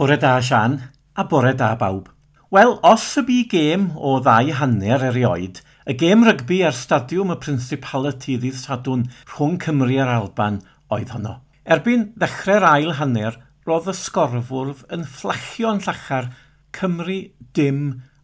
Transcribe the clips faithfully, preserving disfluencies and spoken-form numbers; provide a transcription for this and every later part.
Bore da, Sian, a bore da bawb. Wel, os y bu gêm o ddau hanner erioed, y gêm rygbi ar Stadiwm y Principality ddydd Sadwrn rhwng Cymru a'r Alban oedd honno. Erbyn ddechrau'r ail hanner, roedd y sgorfwrdd yn fflachio'n llachar Cymru dim,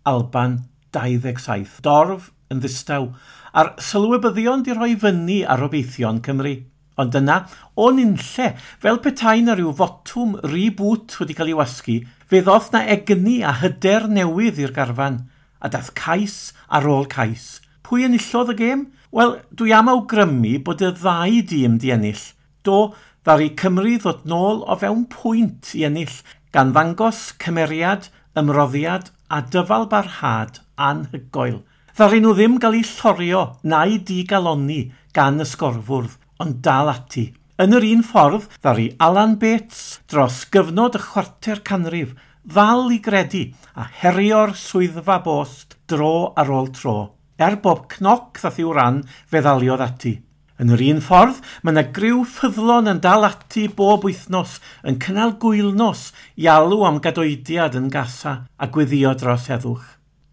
Alban dau ddeg saith. Dorf yn ddistaw, a'r sylwebyddion di rhoi fyny ar obeithion Cymru. Ond yna, o'n unlle, fel petai na rhyw fotwm reboot wedi cael ei wasgu, fe ddoth na egni a hyder newydd i'r garfan, a dath cais ar ôl cais. Pwy enillodd y gêm? Wel, dwi am awgrymu bod y ddau dîm di ennill. Do, ddaru Cymru ddod nôl o fewn pwynt i ennill, gan ddangos cymeriad, ymroddiad a dyfal barhad anhygoel. Ddaru nhw ddim gael eu llorio na'u digalonni gan y sgorfwrdd, ond dal ati. Yn yr un ffordd, ddaru Alan Bates dros gyfnod y chwarter canrif ddal i gredu a herio'r swyddfa bost dro ar ôl tro. Er bob cnoc ddath i'w ran, fe ddaliodd ati. Yn yr un ffordd, mae yna griw ffyddlon yn dal ati bob wythnos yn cynnal gwylnos i alw am gadoediad yn Gaza a gweddio dros heddwch.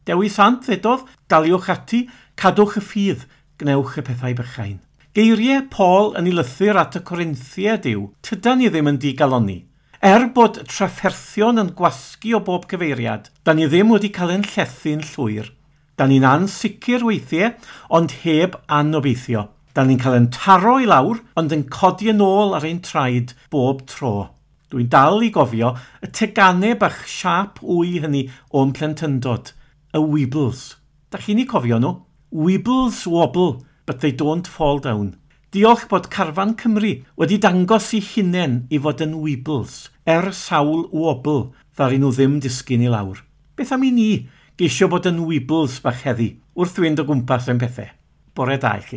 Dewi Sant ddedodd, daliwch ati, cadwch y ffydd, gwnewch y pethau bychain. Geiriau Paul yn ei lythyr at y Corinthiaid yw, tydan ni ddim yn digalonni. Er bod trafferthion yn gwasgu o bob cyfeiriad, da ni ddim wedi cael ein llethu'n llwyr. Da ni'n ansicr weithiau, ond heb anobeithio. Da ni'n cael ein taro i lawr, ond yn codi yn ôl ar ein traed bob tro. Dwi'n dal i gofio y teganau bach siâp wy hynny o'n plentyndod, y Weebles. Da chi'n eu cofio nhw? Weebles wobble, but they don't fall down. Diolch bod Carfan Cymru wedi dangos i hunain i fod yn Weebles, er sawl wobble, ddaru nhw ddim disgyn i lawr. Beth am i ni geisio bod yn Weebles bach heddi, wrth fynd o gwmpas ein pethau? Bore da i chi.